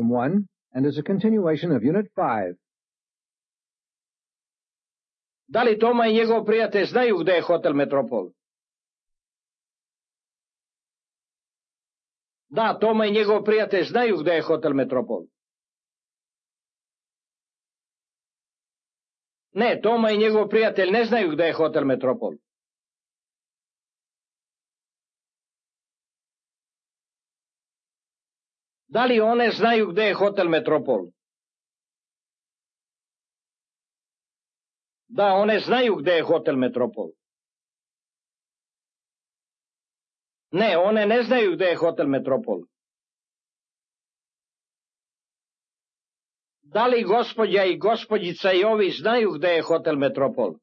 1 and is a continuation of Unit 5. Da li Toma i njegov prijatelj znaju gde je hotel Metropol? Da, Toma i njegov prijatelj znaju gde je hotel Metropol. Ne, Toma i njegov prijatelj ne znaju gde je hotel Metropol. Da li one znaju gde je hotel Metropol? Da, one znaju gde je hotel Metropol. Ne, one ne znaju gde je hotel Metropol. Da li gospođa i gospođica i ovi znaju gde je hotel Metropol?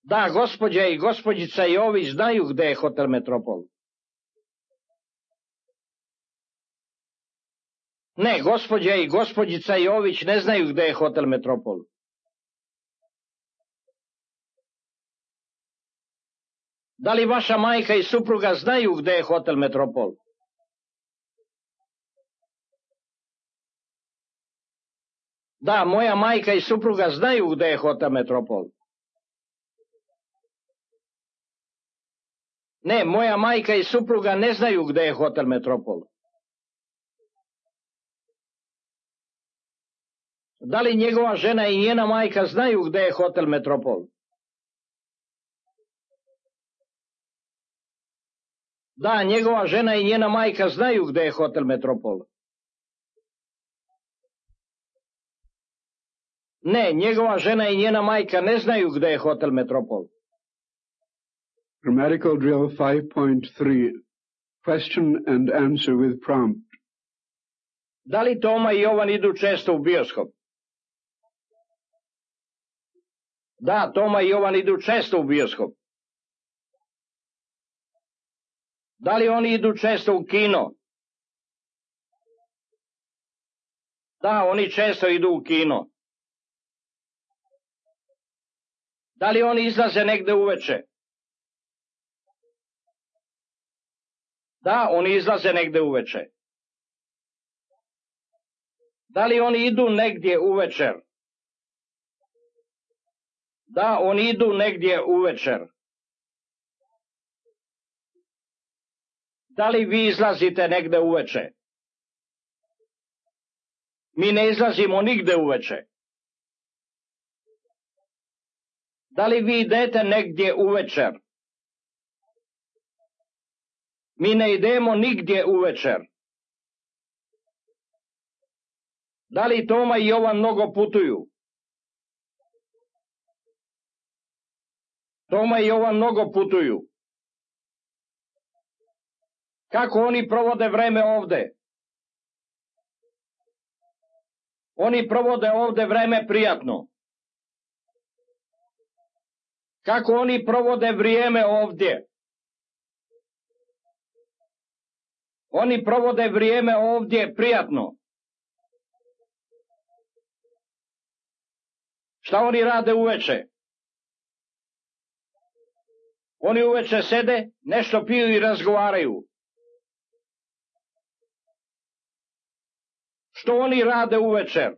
Da, gospođa i gospođica i ovi znaju gde je hotel Metropol. Ne, gospođa i gospođica Jović ne znaju gde je hotel Metropol. Da li vaša majka i supruga znaju gde je hotel Metropol? Da, moja majka i supruga znaju gde je hotel Metropol. Ne, moja majka i supruga ne znaju gde je hotel Metropol. Da li njegova žena i njena majka znaju gde je hotel Metropol? Da, njegova žena i njena majka znaju gde je hotel Metropol. Ne, njegova žena i njena majka ne znaju gde je hotel Metropol. Grammatical drill 5.3. Question and answer with prompt. Da li Toma i Jovan idu često u bioskop? Da, Toma i Jovan idu često u bioskop. Da li oni idu često u kino? Da, oni često idu u kino. Da li oni izlaze negde uveče? Da, oni izlaze negde uveče. Da li oni idu negdje uvečer? Da, oni idu negdje uvečer. Da li vi izlazite negde uveče? Mi ne izlazimo nigde uveče. Da li vi idete negdje uvečer? Mi ne idemo nigdje uvečer. Da li Toma i Jovan mnogo putuju? Toma i Jovan mnogo putuju. Kako oni provode vreme ovde? Oni provode ovde vreme prijatno. Kako oni provode vrijeme ovdje? Oni provode vrijeme ovdje prijatno. Šta oni rade uveče? Oni uveče sede, nešto piju i razgovaraju. Što oni rade uvečer?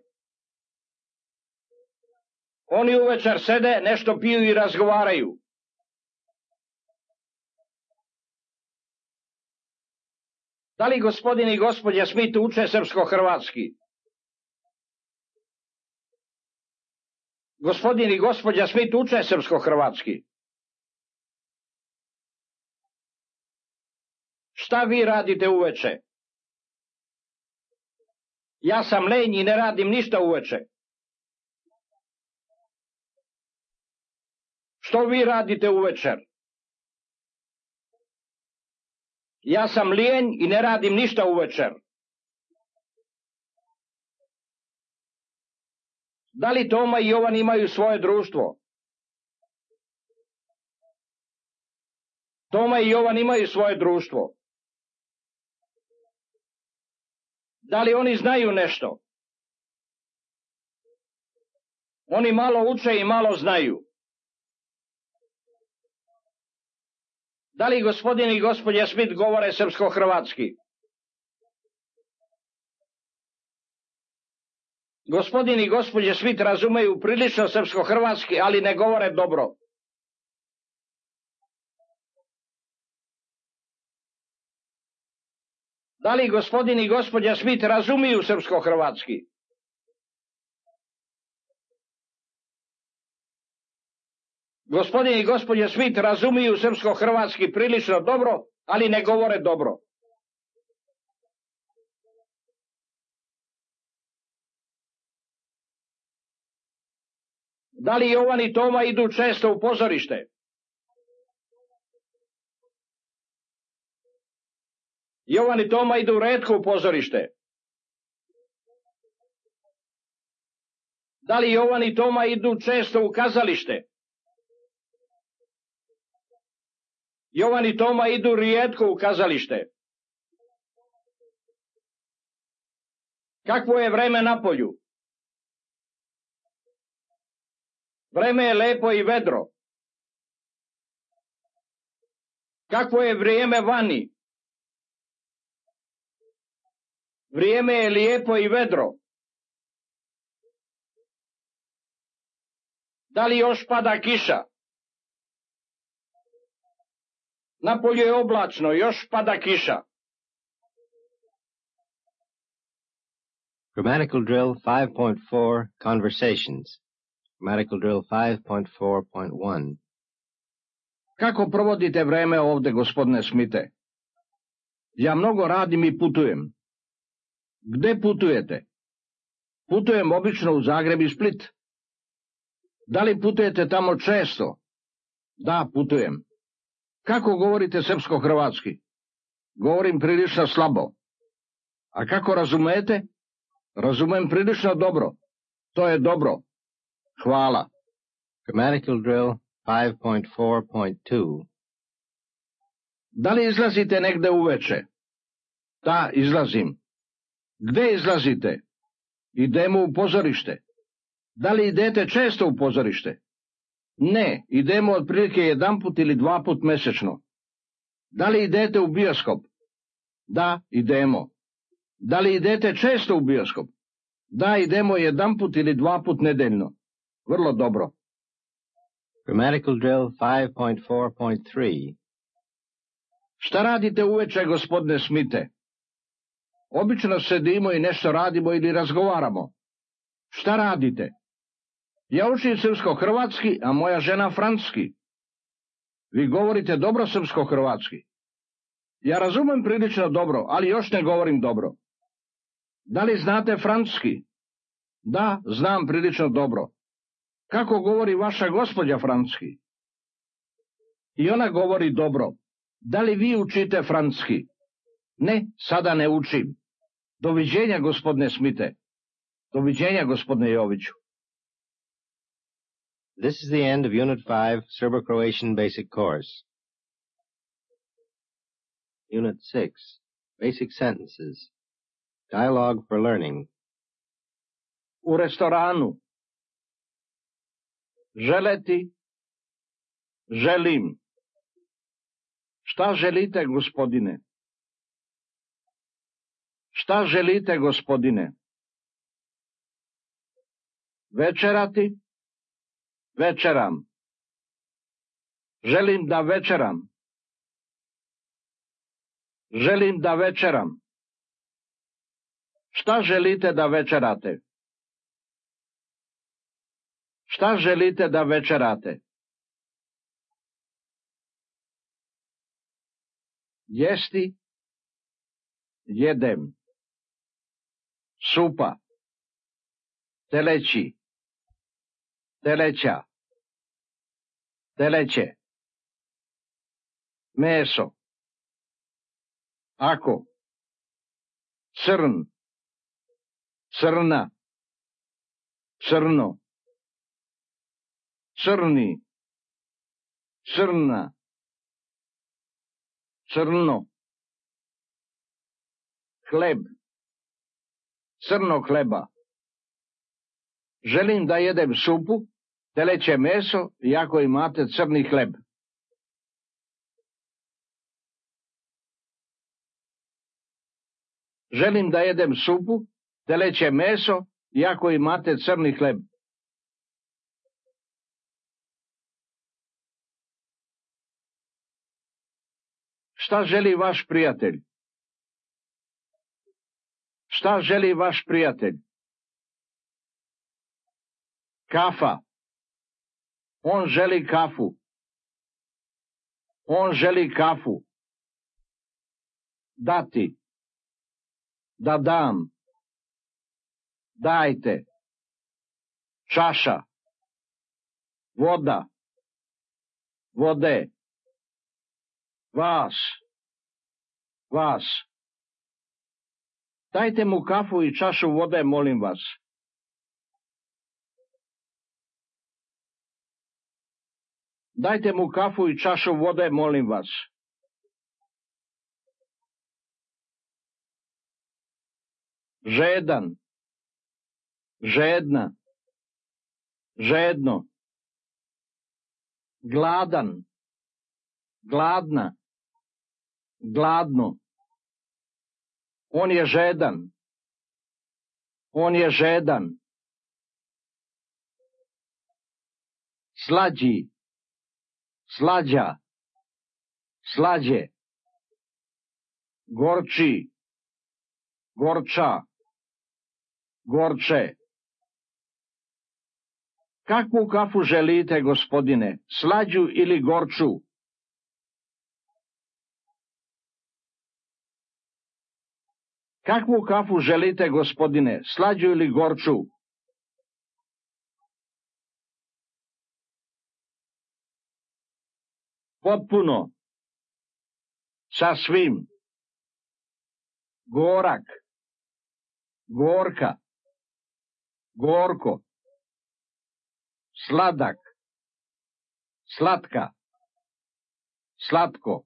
Oni uvečer sede, nešto piju i razgovaraju. Da li gospodin i gospođa Smith uče srpsko-hrvatski? Gospodin i gospođa Smith uče srpsko-hrvatski. Šta vi radite uveče? Ja sam lenj i ne radim ništa uveče. Što vi radite uvečer? Ja sam lijenj i ne radim ništa uvečer. Da li Toma i Jovan imaju svoje društvo? Toma i Jovan imaju svoje društvo. Da li oni znaju nešto? Oni malo uče i malo znaju. Da li gospodin i gospođa Smith govore srpsko-hrvatski? Gospodin i gospođa Smith razumeju prilično srpsko-hrvatski, ali ne govore dobro. Da li gospodin i gospođa Smith razumiju srpsko-hrvatski? Gospodin i gospođa Smith razumiju srpsko-hrvatski prilično dobro, ali ne govore dobro. Da li Jovan i Toma idu često u pozorište? Jovan i Toma idu retko u pozorište. Da li Jovan i Toma idu često u kazalište? Jovan i Toma idu rijetko u kazalište. Kakvo je vreme na polju? Vreme je lepo i vedro. Kakvo je vrijeme vani? Vrijeme je lijepo i vedro. Da li još pada kiša? Napolju je oblačno, još pada kiša. Grammatical drill 5.4 Conversations. Grammatical drill 5.4.1. Kako provodite vreme ovde, gospodine Smite? Ja mnogo radim i putujem. Gde putujete? Putujem obično u Zagreb i Split. Da li putujete tamo često? Da, putujem. Kako govorite srpsko-hrvatski? Govorim prilično slabo. A kako razumete? Razumem prilično dobro. To je dobro. Hvala. Grammatical drill 5.4.2. Da li izlazite negde uveče? Da, izlazim. Gde izlazite? Idemo u pozorište. Da li idete često u pozorište? Ne, idemo otprilike 1 put ili 2 put mesečno. Da li idete u bioskop? Da, idemo. Da li idete često u bioskop? Da, idemo 1 put ili 2 put nedeljno. Vrlo dobro. Grammatical drill 5.4.3. Šta radite uveče, gospodine Smite? Obično sedimo i nešto radimo ili razgovaramo. Šta radite? Ja učim srpsko-hrvatski, a moja žena francuski. Vi govorite dobro srpsko-hrvatski. Ja razumem prilično dobro, ali još ne govorim dobro. Da li znate francuski? Da, znam prilično dobro. Kako govori vaša gospođa francuski? I ona govori dobro. Da li vi učite francuski? Ne, sada ne učim. Doviđenja, gospodine Smite. Doviđenja, gospodine Joviću. This is the end of Unit 5, Serbo-Croatian Basic Course. Unit 6, Basic Sentences. Dialogue for Learning. U restoranu. Želeti. Želim. Šta želite, gospodine? Šta želite, gospodine? Večerati? Večeram. Želim da večeram. Želim da večeram. Šta želite da večerate? Šta želite da večerate? Jesti? Jedem. Supa. Teleći. Teleća. Teleće. Meso. Ako. Crn. Crna. Crno. Crni. Crna. Crno. Hleb. Crno hleba. Želim da jedem supu, teleće meso i ako imate crni hleb. Želim da jedem supu, teleće meso, iako imate crni hleb. Šta želi vaš prijatelj? Šta želi vaš prijatelj? Kafa. On želi kafu. On želi kafu. Dati. Da dam. Dajte. Čaša. Voda. Vode. Vas. Vas. Dajte mu kafu i čašu vode, molim vas. Dajte mu kafu i čašu vode, molim vas. Žedan. Žedna. Žedno. Gladan. Gladna. Gladno. On je žedan. On je žedan. Slađi. Slađa. Slađe. Gorči. Gorča. Gorče. Kakvu kafu želite, gospodine? Slađu ili gorču? Kakvu kafu želite, gospodine? Slađu ili gorču? Potpuno. Sasvim. Gorak. Gorka. Gorko. Sladak. Slatka. Slatko.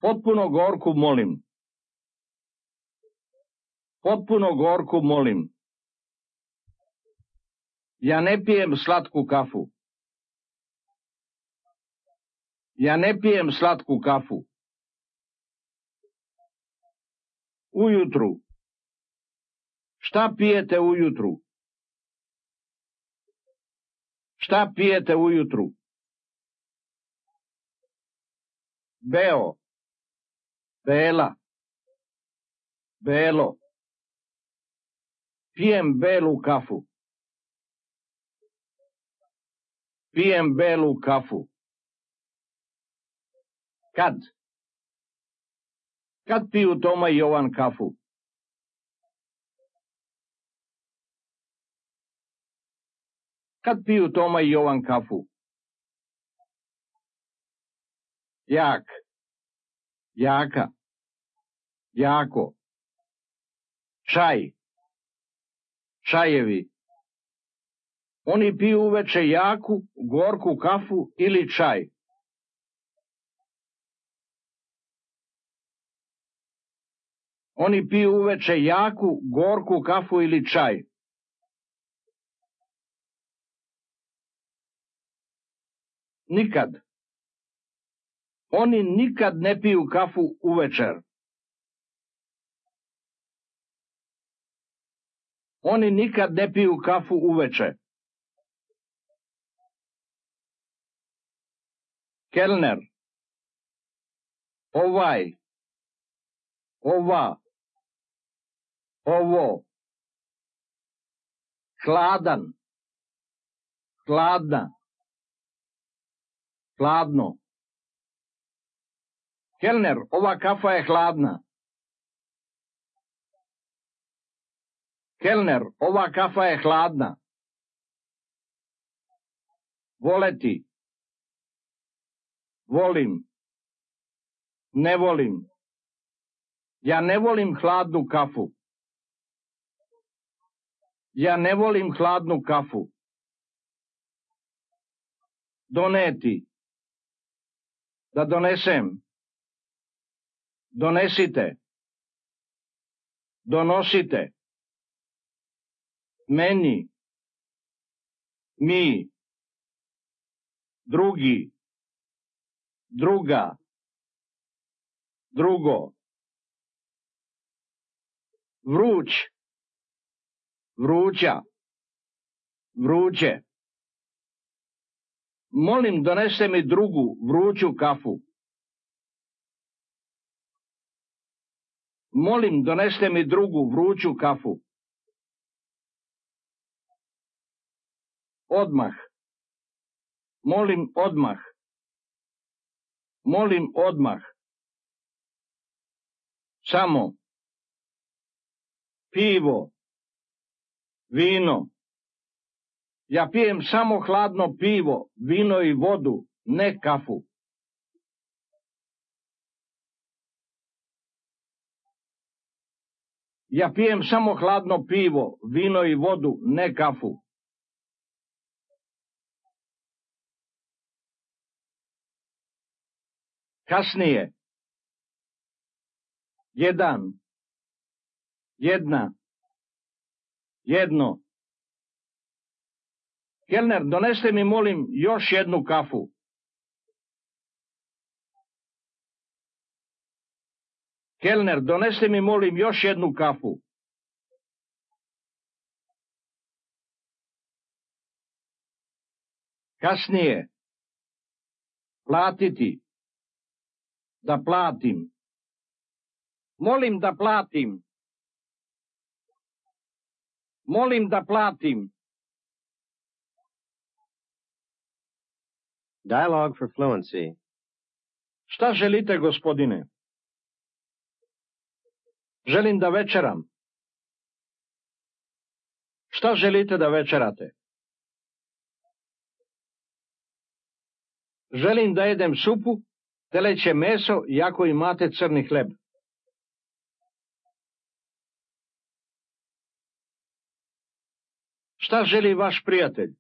Potpuno gorku molim. Potpuno gorku molim. Ja ne pijem slatku kafu. Ja ne pijem slatku kafu. Ujutru. Šta pijete ujutru? Šta pijete ujutru? Beo. Bela. Belo. Pijem belu kafu. Pijem belu kafu. Kad? Kad piju Toma i Jovan kafu? Kad piju Toma i Jovan kafu? Jak. Jaka. Jako. Čaj. Čajevi. Oni piju uveče jaku, gorku kafu ili čaj. Oni piju uveče jaku, gorku kafu ili čaj. Nikad. Oni nikad ne piju kafu uvečer. Oni nikad ne piju kafu uveče. Kelner. Ovaj. Ova. Ovo. Hladan. Hladna. Hladno. Kelner, ova kafa je hladna. Kelner, ova kafa je hladna. Voleti. Volim. Ne volim. Ja ne volim hladnu kafu. Ja ne volim hladnu kafu. Doneti. Da donesem. Donesite. Donosite. Meni. Mi. Drugi. Druga. Drugo. Vruć, vruća, vruće. Molim, doneste mi drugu vruću kafu. Molim, doneste mi drugu vruću kafu. Odmah. Molim, odmah. Molim, odmah. Samo. Pivo. Vino. Ja pijem samo hladno pivo, vino i vodu, ne kafu. Ja pijem samo hladno pivo, vino i vodu, ne kafu. Kasnije. Jedan. Jedna. Jedno. Kelner, doneste mi, molim, još jednu kafu. Kelner, doneste mi, molim, još jednu kafu. Kasnije. Platiti. Da platim. Molim da platim. Molim da platim. Dialogue for fluency. Šta želite, gospodine? Želim da večeram. Šta želite da večerate? Želim da jedem supu, teleće meso i ako imate crni hleb. Šta želi vaš prijatelj?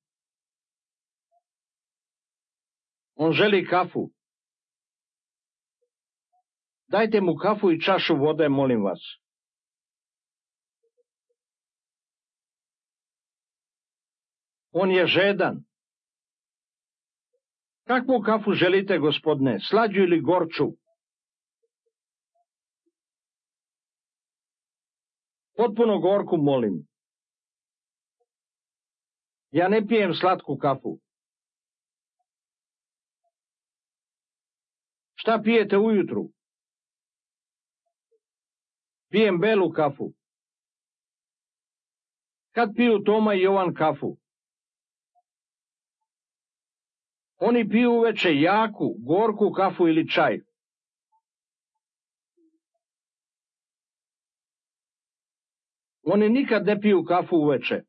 On želi kafu. Dajte mu kafu i čašu vode, molim vas. On je žedan. Kakvu kafu želite, gospodine? Slađu ili gorču? Potpuno gorku, molim. Ja ne pijem slatku kafu. Šta pijete ujutru? Pijem belu kafu. Kad piju Toma i Jovan kafu? Oni piju uveče jaku, gorku kafu ili čaj. Oni nikad ne piju kafu uveče.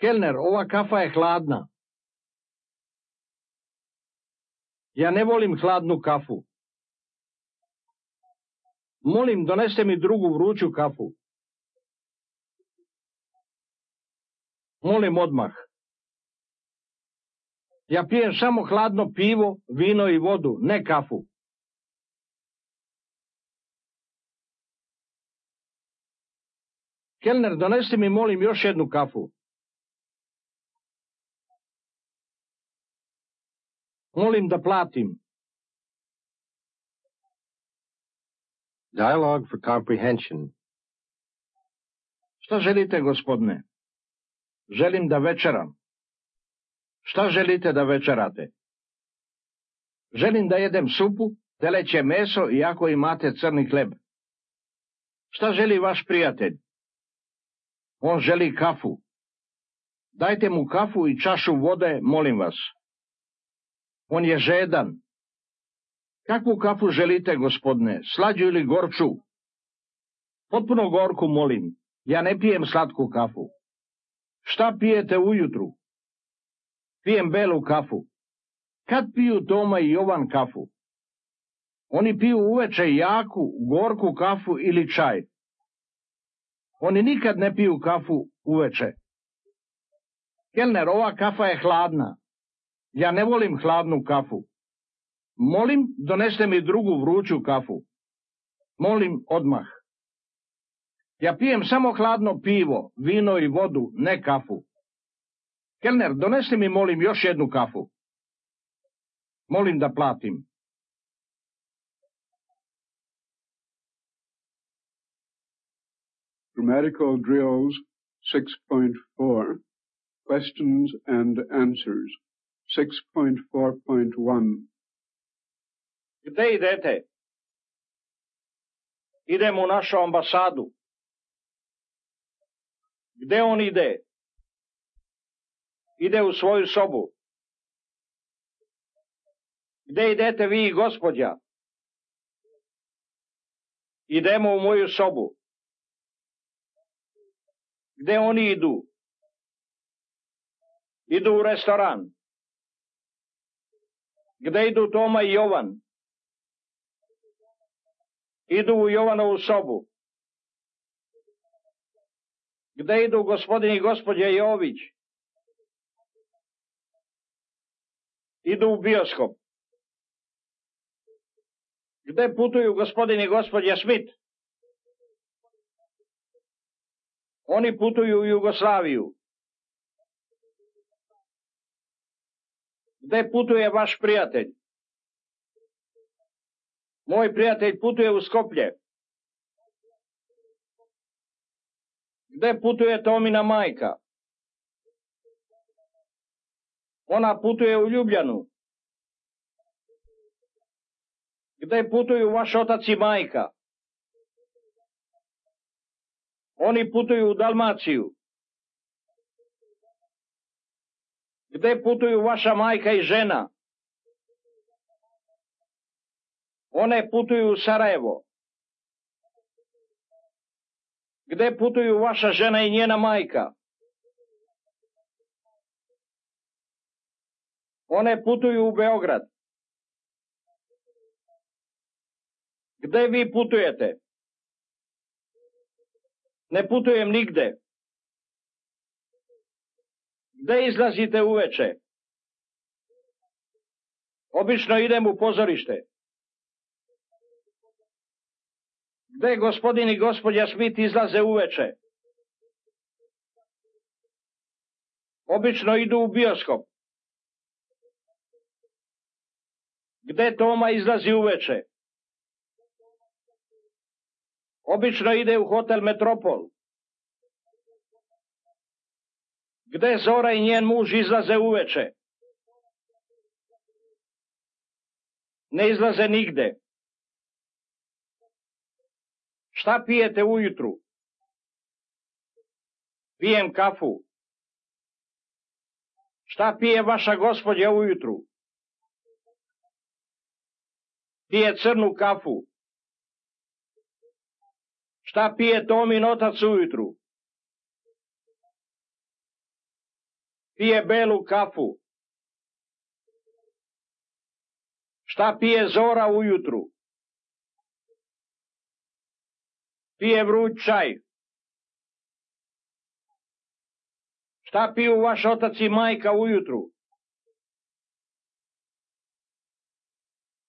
Kelner, ova kafa je hladna. Ja ne volim hladnu kafu. Molim, doneste mi drugu vruću kafu. Molim odmah. Ja pijem samo hladno pivo, vino i vodu, ne kafu. Kelner, donesti mi, molim, još jednu kafu. Molim da platim. Dialogue for comprehension. Šta želite, gospodine? Želim da večeram. Šta želite da večerate? Želim da jedem supu, teleće meso i ako imate crni hleb. Šta želi vaš prijatelj? On želi kafu. Dajte mu kafu i čašu vode, molim vas. On je žedan. Kakvu kafu želite, gospodine? Slađu ili gorču? Potpuno gorku, molim. Ja ne pijem slatku kafu. Šta pijete ujutru? Pijem belu kafu. Kad piju Toma i Jovan kafu? Oni piju uveče jaku, gorku kafu ili čaj. Oni nikad ne piju kafu uveče. Kelner, ova kafa je hladna. Ja ne volim hladnu kafu. Molim, doneste mi drugu vruću kafu. Molim odmah. Ja pijem samo hladno pivo, vino i vodu, ne kafu. Kelner, donesi mi, molim, još jednu kafu. Molim da platim. Grammatical Drills 6.4, Questions and Answers 6.4.1. Gde idete? Idem u našu ambasadu. Gde on ide? Ide u svoju sobu. Gde idete vi i gospođa? Idemo u moju sobu. Gde oni idu? Idu u restoran. Gde idu Toma i Jovan? Idu u Jovanovu sobu. Gde idu gospodin i gospođa Jović? Idu u bioskop. Gde putuju gospodin i gospođa Smith? Oni putuju u Jugoslaviju. Gde putuje vaš prijatelj? Moj prijatelj putuje u Skoplje. Gde putuje Tomina majka? Ona putuje u Ljubljanu. Gde putuju vaš otac i majka? Oni putuju u Dalmaciju. Gde putuju vaša majka i žena? One putuju u Sarajevo. Gde putuju vaša žena i njena majka? One putuju u Beograd. Gde vi putujete? Ne putujem nigde. Gde izlazite uveče? Obično idem u pozorište. Gde gospodin i gospođa Smith izlaze uveče? Obično idu u bioskop. Gde Toma izlazi uveče? Obično ide u hotel Metropol. Gde Zora i njen muž izlaze uveče? Ne izlaze nigde. Šta pijete ujutru? Pijem kafu. Šta pije vaša gospođa ujutru? Pije crnu kafu. Šta pije Tomin otac ujutru? Pije belu kafu. Šta pije Zora ujutru? Pije vruć čaj. Šta piju vaš otac i majka ujutru?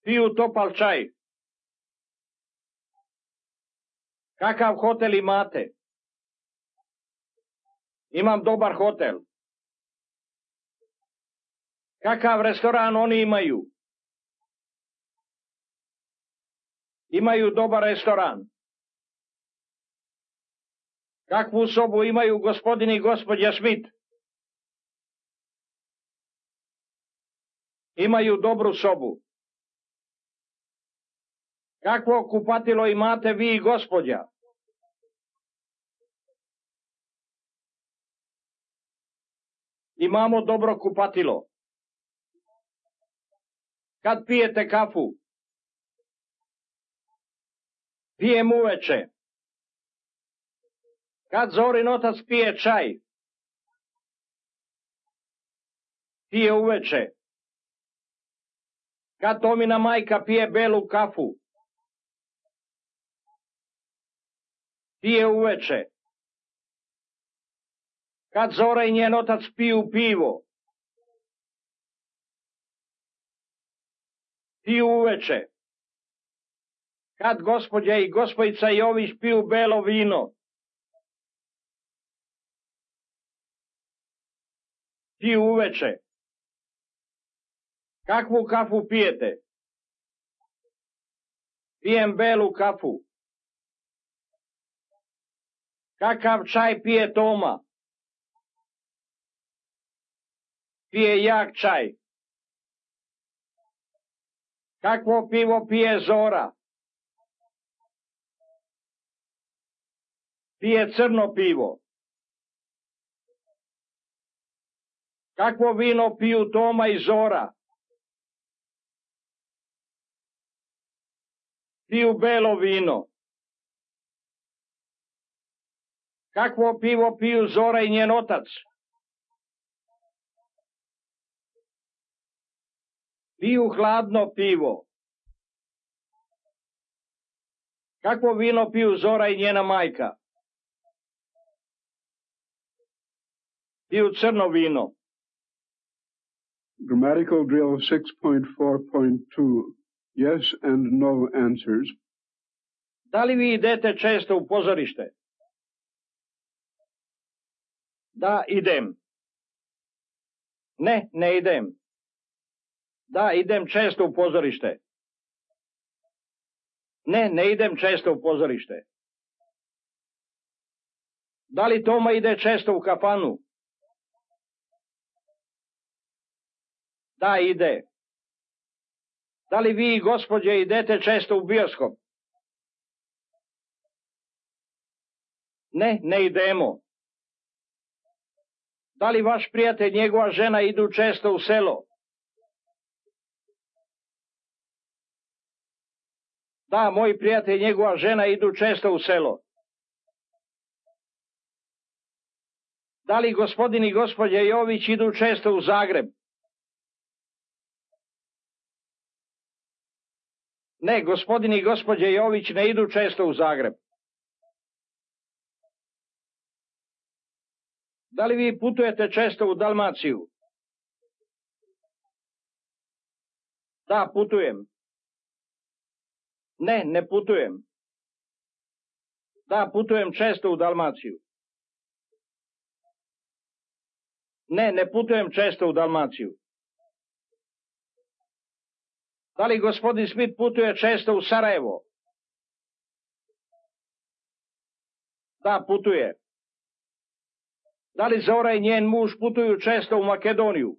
Piju topal čaj. Kakav hotel imate? Imam dobar hotel. Kakav restoran oni imaju? Imaju dobar restoran. Kakvu sobu imaju gospodin i gospođa Smith? Imaju dobru sobu. Kakvo kupatilo imate vi i gospođa? Imamo dobro kupatilo. Kad pijete kafu? Pijem uveče. Kad Zorin otac pije čaj? Pije uveče. Kad Tomina majka pije belu kafu? Pije uveče. Kad Zora i njen otac piju pivo? Piju uveče. Kad gospođa i gospojica Jović piju belo vino? Piju uveče. Kakvu kafu pijete? Pijem belu kafu. Kakav čaj pije Toma? Pije jak čaj. Kakvo pivo pije Zora? Pije crno pivo. Kakvo vino piju Toma i Zora? Piju belo vino. Kakvo pivo piju Zora i njen otac? Piju hladno pivo. Kakvo vino piju Zora i njena majka? Piju crno vino. Grammatical drill 6.4.2. Yes and no answers. Da li vi idete često u pozorište? Da, idem. Ne, ne idem. Da, idem često u pozorište. Ne, ne idem često u pozorište. Da li Toma ide često u kafanu? Da, ide. Da li vi, gospođe, idete često u bioskop? Ne, ne idemo. Da li vaš prijatelj i njegova žena idu često u selo? Da, moj prijatelj i njegova žena idu često u selo. Da li gospodin i gospođa Jović idu često u Zagreb? Ne, gospodin i gospođa Jović ne idu često u Zagreb. Da li vi putujete često u Dalmaciju? Da, putujem. Ne, ne putujem. Da, putujem često u Dalmaciju. Ne, ne putujem često u Dalmaciju. Da li gospodin Smith putuje često u Sarajevo? Da, putuje. Da li Zora i njen muž putuju često u Makedoniju?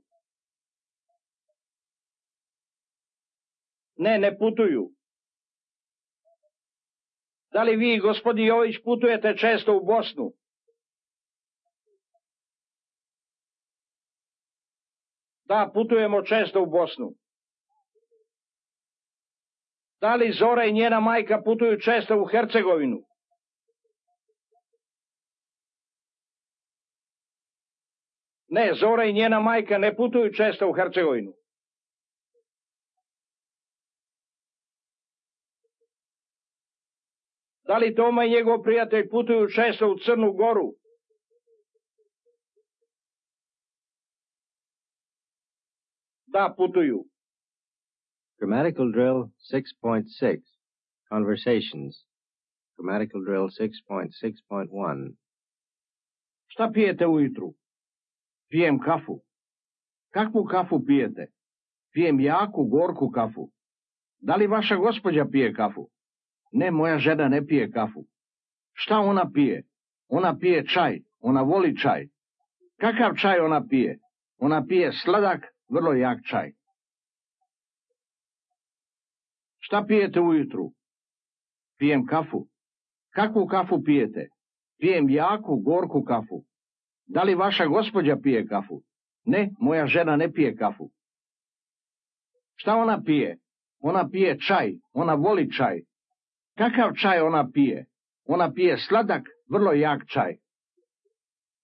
Ne, ne putuju. Da li vi, gospodin Jović, putujete često u Bosnu? Da, putujemo često u Bosnu. Da li Zora i njena majka putuju često u Hercegovinu? Ne, Zora i njena majka ne putuju često u Hercegovinu. Da li Toma i njegov prijatelj putuju često u Crnu Goru? Da, putuju. Grammatical drill 6.6. Conversations. Grammatical drill 6.6.1. Šta pijete ujutru? Pijem kafu. Kakvu kafu pijete? Pijem jaku, gorku kafu. Da li vaša gospođa pije kafu? Ne, moja žena ne pije kafu. Šta ona pije? Ona pije čaj. Ona voli čaj. Kakav čaj ona pije? Ona pije sladak, vrlo jak čaj. Šta pijete ujutru? Pijem kafu. Kakvu kafu pijete? Pijem jaku, gorku kafu. Da li vaša gospođa pije kafu? Ne, moja žena ne pije kafu. Šta ona pije? Ona pije čaj. Ona voli čaj. Kakav čaj ona pije? Ona pije sladak, vrlo jak čaj.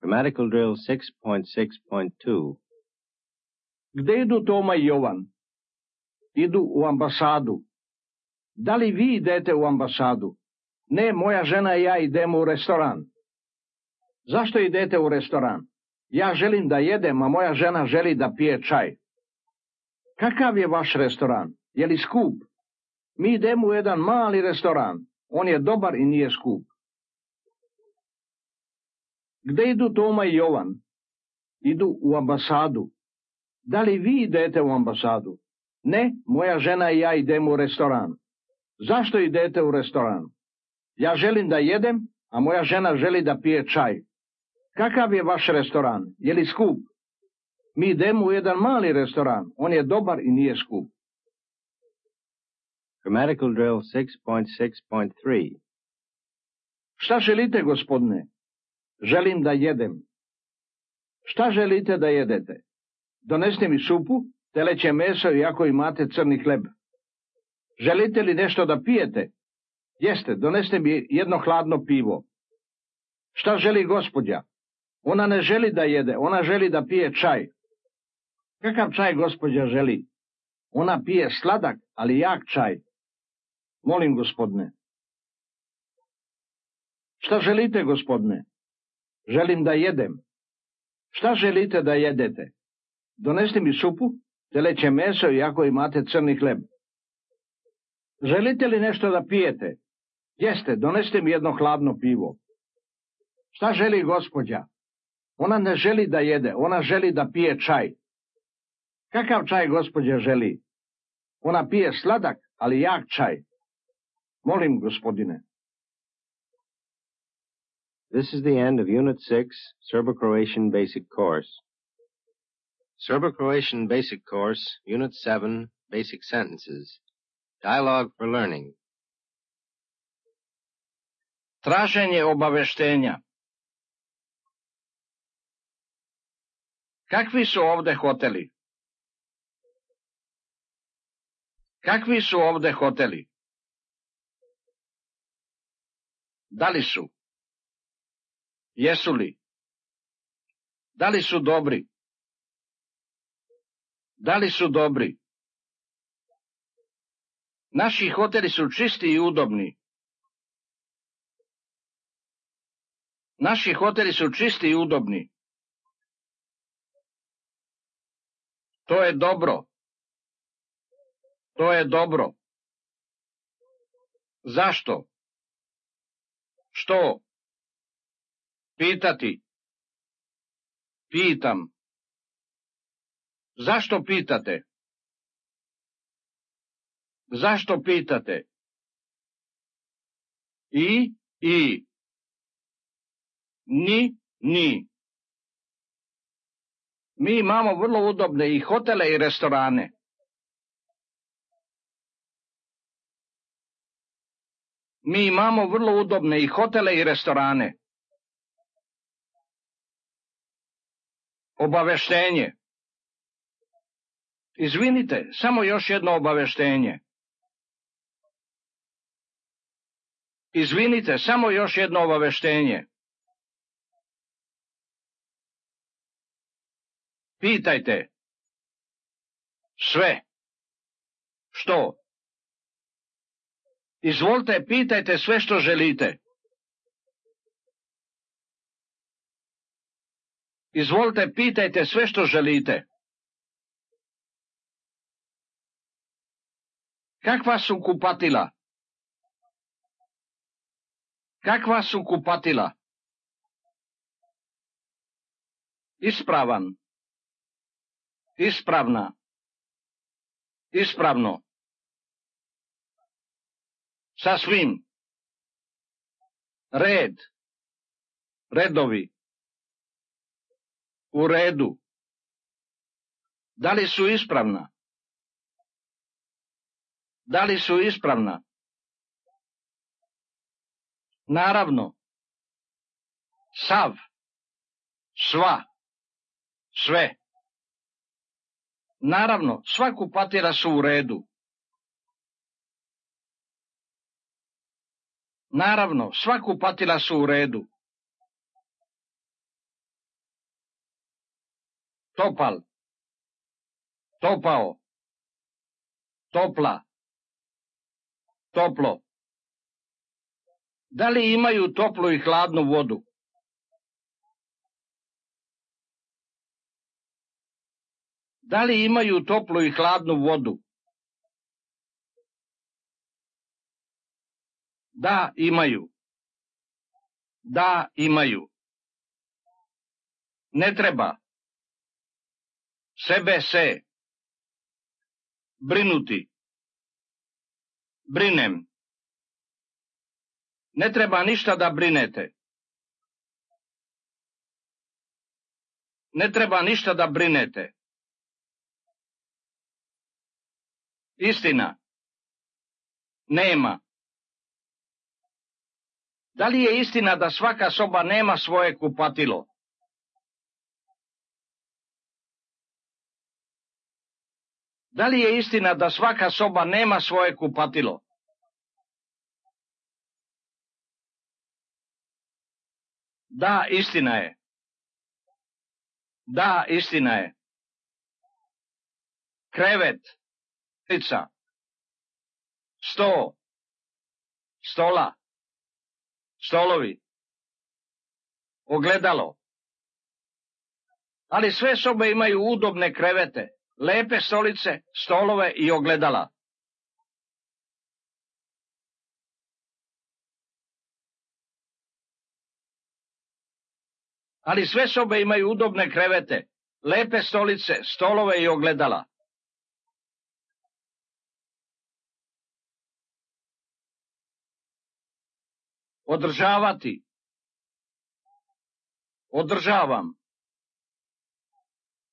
Grammatical drill 6.6.2. Gde idu Toma i Jovan? Idu u ambasadu. Da li vi idete u ambasadu? Ne, moja žena i ja idemo u restoran. Zašto idete u restoran? Ja želim da jedem, a moja žena želi da pije čaj. Kakav je vaš restoran? Je li skup? Mi idemo u jedan mali restoran. On je dobar i nije skup. Gde idu Toma i Jovan? Idu u ambasadu. Da li vi idete u ambasadu? Ne, moja žena i ja idemo u restoran. Zašto idete u restoran? Ja želim da jedem, a moja žena želi da pije čaj. Kakav je vaš restoran? Je li skup? Mi idemo u jedan mali restoran. On je dobar i nije skup. Grammatical drill 6.6.3. Šta želite, gospodine? Želim da jedem. Šta želite da jedete? Donesite mi supu, teleće meso i ako imate crni hleb. Želite li nešto da pijete? Jeste, donesite mi jedno hladno pivo. Šta želi gospođa? Ona ne želi da jede, ona želi da pije čaj. Kakav čaj gospođa želi? Ona pije sladak, ali jak čaj. Molim, gospodine. Šta želite, gospodine? Želim da jedem. Šta želite da jedete? Donesite mi supu, teleće meso i ako imate crni hleb. Želite li nešto da pijete? Jeste, donesite mi jedno hladno pivo. Šta želi gospođa? Ona ne želi da jede, ona želi da pije čaj. Kakav čaj gospođa želi? Ona pije sladak, ali jak čaj. Molim, gospodine. This is the end of Unit 6, Serbo-Croatian Basic Course. Serbo-Croatian Basic Course, Unit 7, Basic Sentences. Dialogue for Learning. Traženje obaveštenja. Kakvi su ovde hoteli? Kakvi su ovde hoteli? Da li su? Jesu li? Da li su dobri? Da li su dobri? Naši hoteli su čisti i udobni. Naši hoteli su čisti i udobni. To je dobro. To je dobro. Zašto? Što? Pitati. Pitam. Zašto pitate? Zašto pitate? I. Ni. Mi imamo vrlo udobne i hotele i restorane. Mi imamo vrlo udobne i hotele i restorane. Obaveštenje. Izvinite, samo još jedno obaveštenje. Izvinite, samo još jedno obaveštenje. Pitajte. Sve. Što? Izvolite, pitajte sve što želite. Izvolite, pitajte sve što želite. Kakva su kupatila? Kakva su kupatila? Ispravan. Ispravna. Ispravno. Sasvim. Red. Redovi. U redu. Da li su ispravna? Da li su ispravna? Naravno. Sav. Sva. Sve. Naravno, sva kupatila su u redu. Naravno, sva kupatila su u redu. Topal. Topao. Topla. Toplo. Da li imaju toplu i hladnu vodu? Da li imaju toplu i hladnu vodu? Da, imaju. Da, imaju. Ne treba. Sebe se. Brinuti. Brinem. Ne treba ništa da brinete. Ne treba ništa da brinete. Istina. Nema. Da li je istina da svaka soba nema svoje kupatilo? Da li je istina da svaka soba nema svoje kupatilo? Da, istina je. Da, istina je. Krevet, stolica, sto, stola, stolovi, ogledalo. Ali sve sobe imaju udobne krevete, lepe stolice, stolove i ogledala. Ali sve sobe imaju udobne krevete, lepe stolice, stolove i ogledala. Održavati. Održavam.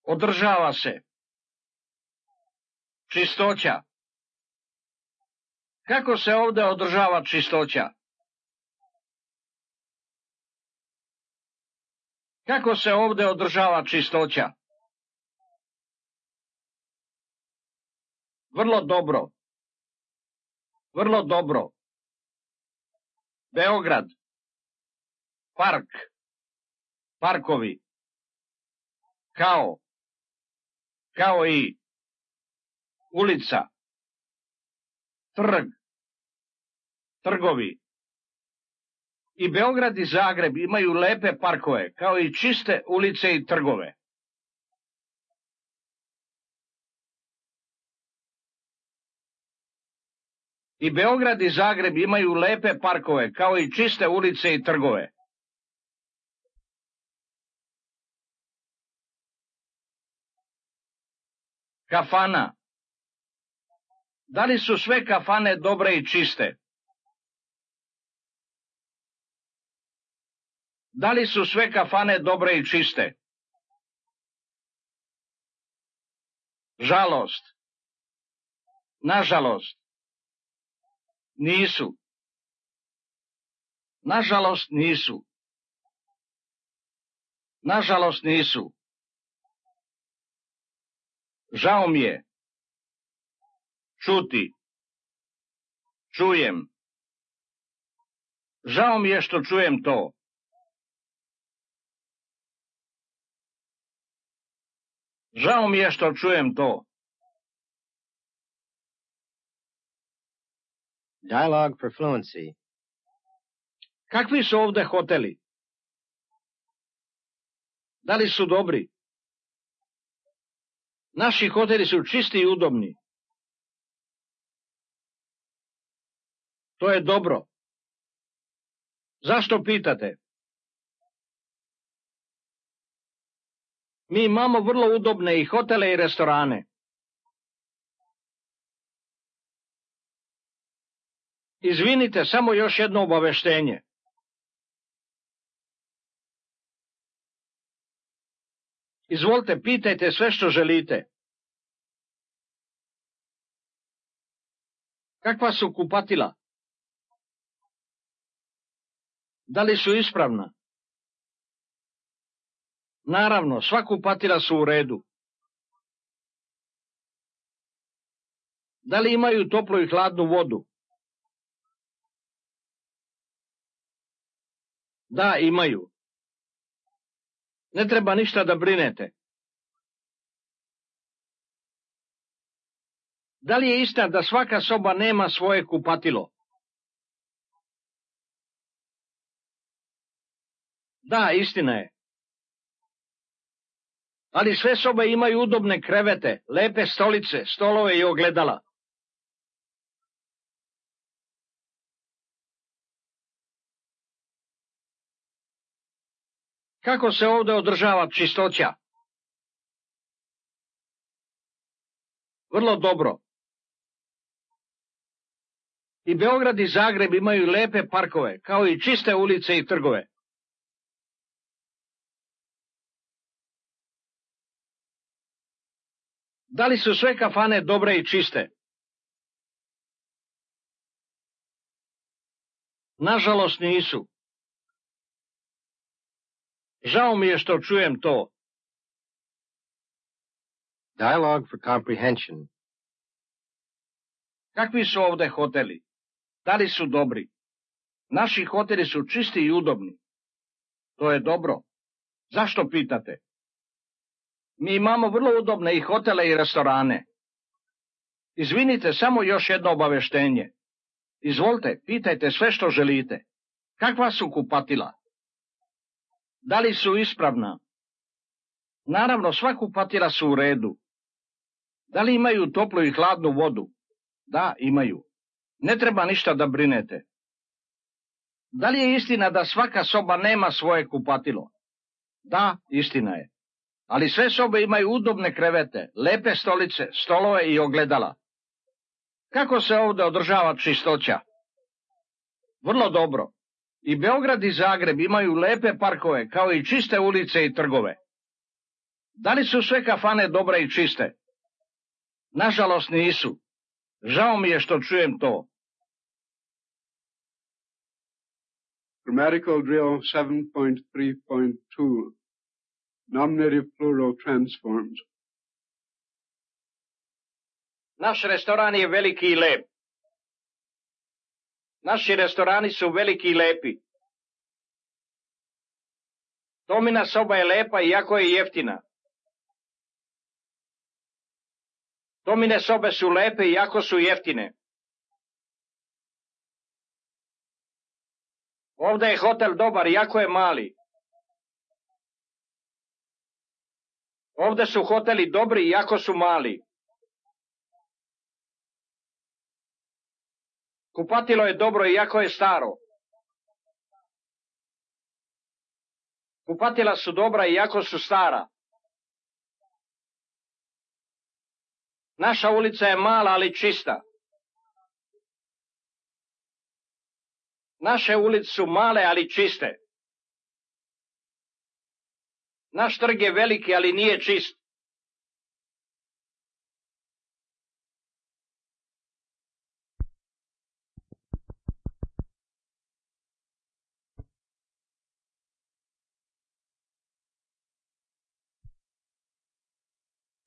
Održava se. Čistoća. Kako se ovdje održava čistoća? Kako se ovdje održava čistoća? Vrlo dobro. Vrlo dobro. Beograd. Park. Parkovi. Kao. Kao i. Ulica. Trg. Trgovi. I Beograd i Zagreb imaju lepe parkove, kao i čiste ulice i trgove. I Beograd i Zagreb imaju lepe parkove, kao i čiste ulice i trgove. Kafana. Da li su sve kafane dobre i čiste? Da li su sve kafane dobre i čiste? Žalost. Nažalost. Nisu. Nažalost nisu. Nažalost nisu. Žao mi je. Čuti. Čujem. Žao mi je što čujem to. Žao mi je što čujem to. Dialogue for fluency. Kakvi su ovdje hoteli? Da li su dobri? Naši hoteli su čisti i udobni. To je dobro. Zašto pitate? Mi imamo vrlo udobne i hotele i restorane. Izvinite, samo još jedno obaveštenje. Izvolite, pitajte sve što želite. Kakva su kupatila? Da li su ispravna? Naravno, sva kupatila su u redu. Da li imaju toplu i hladnu vodu? Da, imaju. Ne treba ništa da brinete. Da li je istina da svaka soba nema svoje kupatilo? Da, istina je. Ali sve sobe imaju udobne krevete, lepe stolice, stolove i ogledala. Kako se ovdje održava čistoća? Vrlo dobro. I Beograd i Zagreb imaju lepe parkove, kao i čiste ulice i trgove. Da li su sve kafane dobre i čiste? Nažalost nisu. Žao mi je što čujem to. Dialogue for comprehension. Kakvi su ovde hoteli? Da li su dobri? Naši hoteli su čisti i udobni. To je dobro. Zašto pitate? Mi imamo vrlo udobne i hotele i restorane. Izvinite, samo još jedno obaveštenje. Izvolite, pitajte sve što želite. Kakva su kupatila? Da li su ispravna? Naravno, sva kupatila su u redu. Da li imaju toplu i hladnu vodu? Da, imaju. Ne treba ništa da brinete. Da li je istina da svaka soba nema svoje kupatilo? Da, istina je. Ali sve sobe imaju udobne krevete, lepe stolice, stolove i ogledala. Kako se ovde održava čistoća? Vrlo dobro. I Beograd i Zagreb imaju lepe parkove, kao i čiste ulice i trgove. Da li su sve kafane dobre i čiste? Nažalost nisu. Žao mi je što čujem to. Grammatical drill 7.3.2. Nominative plural transforms. Naš restoran je veliki i lep. Naši restorani su veliki i lepi. Tomina soba je lepa iako je jeftina. Tomine sobe su lepe iako su jeftine. Ovde je hotel dobar iako je mali. Ovde su hoteli dobri iako su mali. Kupatilo je dobro iako je staro. Kupatila su dobra iako su stara. Naša ulica je mala, ali čista. Naše ulice su male, ali čiste. Naš trg je veliki, ali nije čist.